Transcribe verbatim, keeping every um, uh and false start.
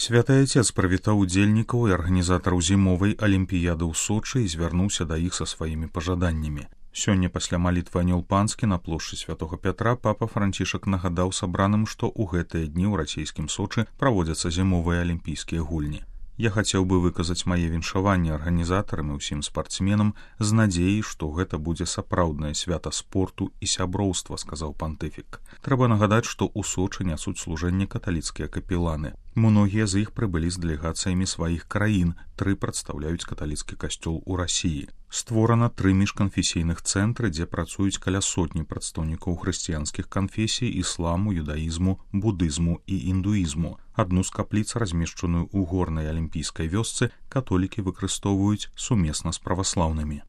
Святы Отец прывітаў удзельнікаў і арганізатараў зімовай алімпіяды ў Сочы і звярнуўся да іх са сваімі пажаданнямі. Сёння пасля малітвы Анёл Панскі на плошчы Святога Пятра папа Францішак нагадаў сабраным, што ў гэтыя дні ў расійскім Сочы праводзяцца зімовыя алімпійскія гульні. Я хацеў бы выказаць мае віншаванні арганізатарам і ўсім спартсменам з надзеяй, што гэта будзе сапраўднае свята спорту і сяброўства, сказаў пантыфік. Трэба нагадаць, што ў Сочы нясуць служэнне каталіцкія капеланы. Многія з іх прыбылі з дэлегацыямі сваіх краін, тры прадстаўляюць каталіцкі касцёл у Расіі. Створана тры міжканфесійных цэнтры, дзе працуюць каля сотні прадстаўнікоў хрысціянскіх канфесій, ісламу, юдаізму, будызму і індуізму. Адну з капліц, размешчаную ў горнай алімпійскай вёсцы, католікі выкарыстоўваюць сумесна з праваслаўнымі.